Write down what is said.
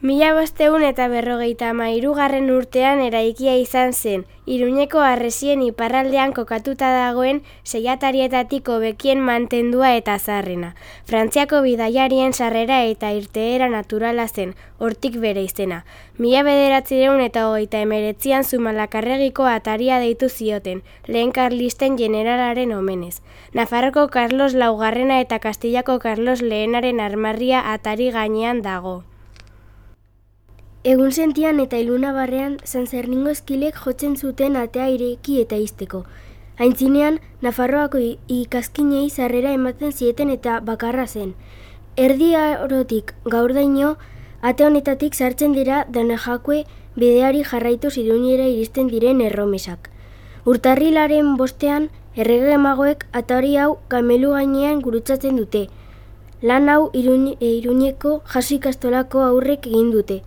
1553 urtean eraikia izan zen, Iruñeko harresien iparraldean kokatuta dagoen seiatarietatik hobekien mantendua eta zaharrena. Frantziako bidaiarien sarrera eta irteera naturala zen, hortik bere izena. 1939an Zumalakarregiko ataria deitu zioten, lehen karlisten generalaren omenez. Nafarroko Karlos Laugarrena eta Kastillako Karlos Lehenaren armarria atari gainean dago. Egun sentian eta ilunabarrean San Zerningo eskilek jotzen zuten atea ireki eta ixteko. Aintzinean, Nafarroako ikazkinei sarrera ematen zieten eta bakarra zen. Erdi Arotik gaurdaino, ate honetatik sartzen dira Donejakue bideari jarraituz Iruñera iristen diren erromesak. Urtarrilaren 5ean, errege magoek atari hau kamelu gainean gurutzatzen dute. Lan hau Iruñeko jaso ikastolako aurrek egin dute.